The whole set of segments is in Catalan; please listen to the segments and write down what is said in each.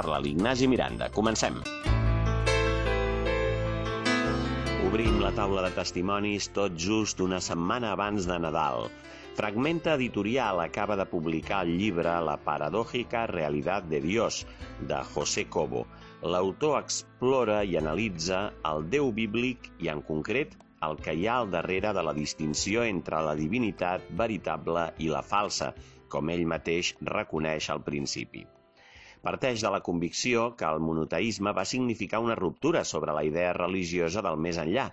Parla l'Ignasi Miranda. Comencem. Obrim la taula de testimonis tot just una setmana abans de Nadal. Fragmenta Editorial acaba de publicar el llibre La paradójica realidad de Dios, de José Cobo. L'autor explora i analitza el Déu bíblic i, en concret, el que hi ha al darrere de la distinció entre la divinitat veritable i la falsa, com ell mateix reconeix al principi. Parteix de la convicció que el monoteisme va significar una ruptura sobre la idea religiosa del més enllà,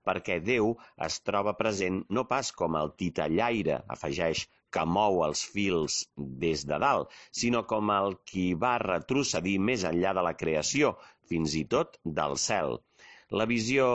perquè Déu es troba present no pas com el titellaire, afegeix, que mou els fils des de dalt, sinó com el qui va retrocedir més enllà de la creació, fins i tot del cel. La visió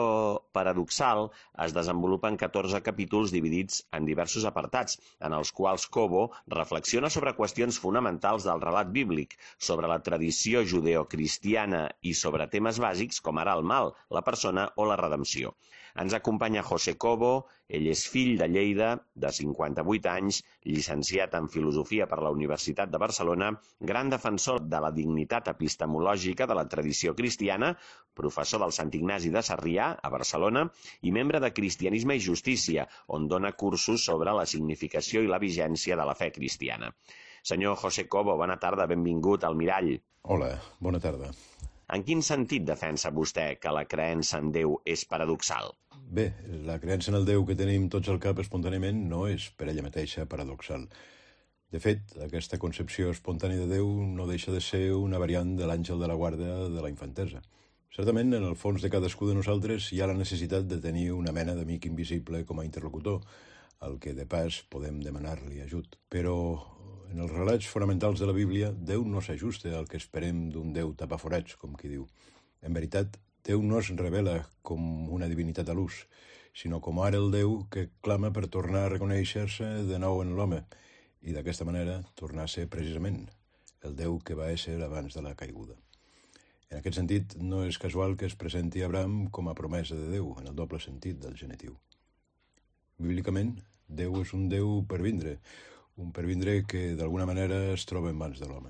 paradoxal es desenvolupa en 14 capítols dividits en diversos apartats, en els quals Cobo reflexiona sobre qüestions fonamentals del relat bíblic, sobre la tradició judeocristiana i sobre temes bàsics com ara el mal, la persona o la redempció. Ens acompanya José Cobo, ell és fill de Lleida, de 58 anys, llicenciat en Filosofia per la Universitat de Barcelona, gran defensor de la dignitat epistemològica de la tradició cristiana, professor del Sant Ignasi de Sarrià, a Barcelona, i membre de Cristianisme i Justícia, on dona cursos sobre la significació i la vigència de la fe cristiana. Senyor José Cobo, bona tarda, benvingut al Mirall. Hola, bona tarda. En quin sentit defensa vostè que la creença en Déu és paradoxal? Bé, la creença en el Déu que tenim tots al cap espontàniament no és per ella mateixa paradoxal. De fet, aquesta concepció espontània de Déu no deixa de ser una variant de l'àngel de la guarda de la infantesa. Certament, en el fons de cadascú de nosaltres hi ha la necessitat de tenir una mena d'amic invisible com a interlocutor, al que de pas podem demanar-li ajut. Però en els relats fonamentals de la Bíblia, Déu no s'ajusta al que esperem d'un Déu tapaforats, com qui diu. En veritat, Déu no es revela com una divinitat a l'ús, sinó com ara el Déu que clama per tornar a reconèixer-se de nou en l'home, i d'aquesta manera tornar a ser precisament el Déu que va ésser abans de la caiguda. En aquest sentit, no és casual que es presenti Abraham com a promesa de Déu, en el doble sentit del genitiu. Bíblicament, Déu és un Déu per vindre, un pervindre que d'alguna manera es troba en mans de l'home.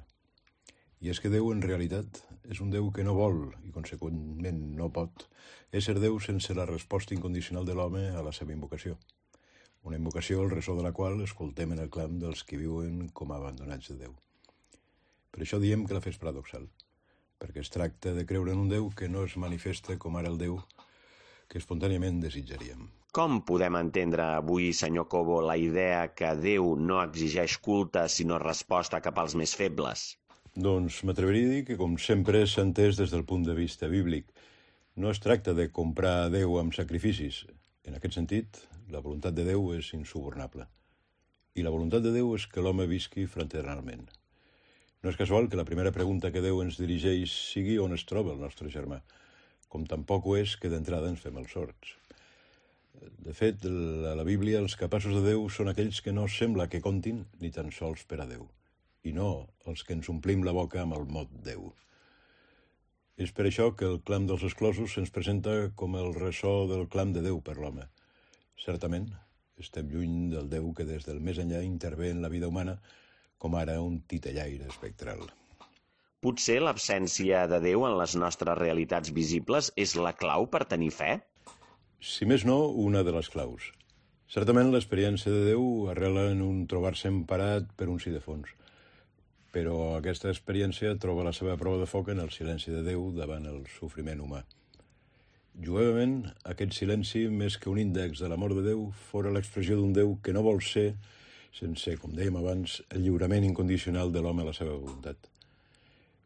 I és que Déu en realitat és un Déu que no vol i conseqüentment no pot ésser Déu sense la resposta incondicional de l'home a la seva invocació. Una invocació el ressò de la qual escoltem en el clam dels que viuen com a abandonats de Déu. Per això diem que la fe és paradoxal, perquè es tracta de creure en un Déu que no es manifesta com ara el Déu que espontàniament desitjaríem. Com podem entendre avui, senyor Cobo, la idea que Déu no exigeix culte sinó resposta cap als més febles? Doncs m'atreviria a dir que, com sempre, s'ha entès des del punt de vista bíblic. No es tracta de comprar a Déu amb sacrificis. En aquest sentit, la voluntat de Déu és insubornable. I la voluntat de Déu és que l'home visqui fraternalment. No és casual que la primera pregunta que Déu ens dirigeix sigui on es troba el nostre germà, com tampoc ho és que d'entrada ens fem els sords. De fet, a la Bíblia els capaços de Déu són aquells que no sembla que comptin ni tan sols per a Déu, i no els que ens omplim la boca amb el mot Déu. És per això que el clam dels exclosos se'ns presenta com el ressò del clam de Déu per l'home. Certament, estem lluny del Déu que des del més enllà intervé en la vida humana, com ara un titellaire espectral. Potser l'absència de Déu en les nostres realitats visibles és la clau per tenir fe? Si més no, una de les claus. Certament l'experiència de Déu arrela en un trobar-se emparat per un sí de fons. Però aquesta experiència troba la seva prova de foc en el silenci de Déu davant el sofriment humà. Juevament, aquest silenci, més que un índex de l'amor de Déu, fora l'expressió d'un Déu que no vol ser, sense, com dèiem abans, el lliurament incondicional de l'home a la seva voluntat.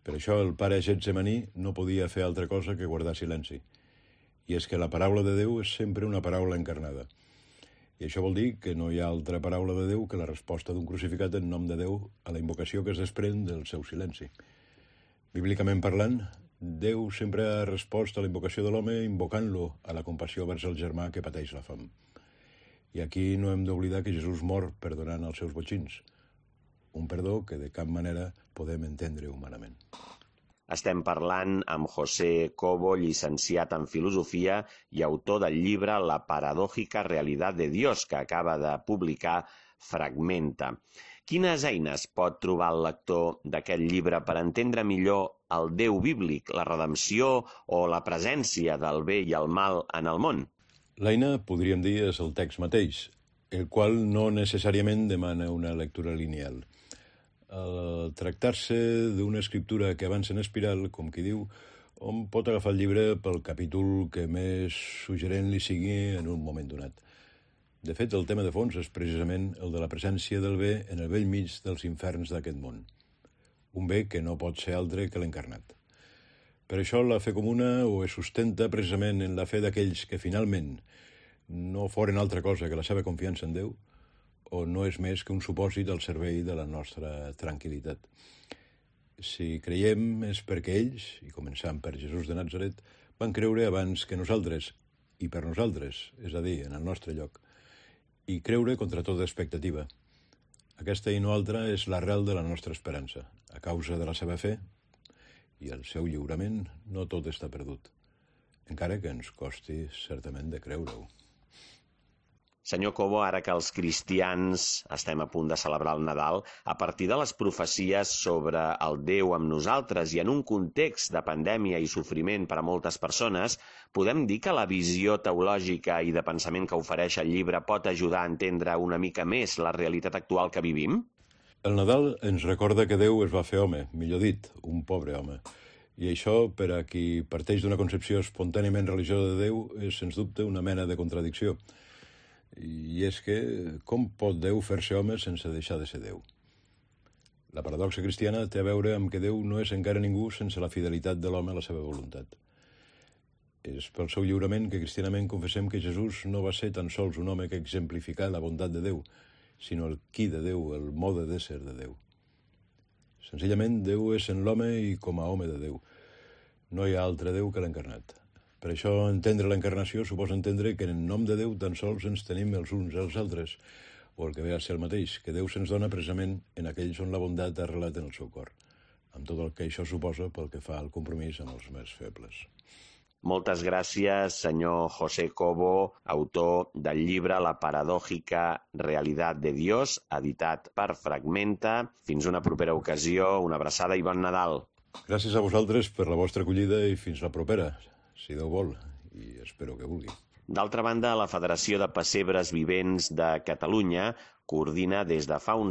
Per això el pare Getsemaní no podia fer altra cosa que guardar silenci. I és que la paraula de Déu és sempre una paraula encarnada. I això vol dir que no hi ha altra paraula de Déu que la resposta d'un crucificat en nom de Déu a la invocació que es desprèn del seu silenci. Bíblicament parlant, Déu sempre ha respost a la invocació de l'home invocant-lo a la compassió vers el germà que pateix la fam. I aquí no hem d'oblidar que Jesús mor perdonant els seus botxins, un perdó que de cap manera podem entendre humanament. Estem parlant amb José Cobo, llicenciat en Filosofia i autor del llibre La paradójica realidad de Dios, que acaba de publicar Fragmenta. Quines eines pot trobar el lector d'aquest llibre per entendre millor el Déu bíblic, la redempció o la presència del bé i el mal en el món? L'eina, podríem dir, és el text mateix, el qual no necessàriament demana una lectura lineal. Al tractar-se d'una escriptura que avança en espiral, com qui diu, hom pot agafar el llibre pel capítol que més suggerent li sigui en un moment donat. De fet, el tema de fons és precisament el de la presència del bé en el bell mig dels inferns d'aquest món. Un bé que no pot ser altre que l'encarnat. Per això la fe comuna ho es sustenta precisament en la fe d'aquells que finalment no foren altra cosa que la seva confiança en Déu, o no és més que un supòsit al servei de la nostra tranquil·litat. Si creiem és perquè ells, i començant per Jesús de Natzaret, van creure abans que nosaltres, i per nosaltres, és a dir, en el nostre lloc, i creure contra tota expectativa. Aquesta i no altra és l'arrel de la nostra esperança. A causa de la seva fe i el seu lliurament, no tot està perdut, encara que ens costi certament de creure-ho. Senyor Cobo, ara que els cristians estem a punt de celebrar el Nadal, a partir de les profecies sobre el Déu amb nosaltres i en un context de pandèmia i sofriment per a moltes persones, podem dir que la visió teològica i de pensament que ofereix el llibre pot ajudar a entendre una mica més la realitat actual que vivim? El Nadal ens recorda que Déu es va fer home, millor dit, un pobre home. I això, per a qui parteix d'una concepció espontàniament religiosa de Déu, és, sens dubte, una mena de contradicció. I és que, com pot Déu fer-se home sense deixar de ser Déu? La paradoxa cristiana té a veure amb que Déu no és encara ningú sense la fidelitat de l'home a la seva voluntat. És pel seu lliurament que cristianament confessem que Jesús no va ser tan sols un home que exemplificà la bondat de Déu, sinó el qui de Déu, el mode d'ésser de Déu. Senzillament, Déu és en l'home i com a home de Déu. No hi ha altre Déu que l'encarnat. Per això, entendre l'encarnació suposa entendre que en nom de Déu tan sols ens tenim els uns als altres, o el que ve a ser el mateix, que Déu se'ns dona precisament en aquells on la bondat ha arrelat en el seu cor, amb tot el que això suposa pel que fa al compromís amb els més febles. Moltes gràcies, senyor José Cobo, autor del llibre La paradòjica realidad de Dios, editat per Fragmenta. Fins una propera ocasió, una abraçada i bon Nadal. Gràcies a vosaltres per la vostra acollida i fins la propera, si Déu vol, i espero que vulgui. D'altra banda, la Federació de Pessebres Vivents de Catalunya coordina des de fa uns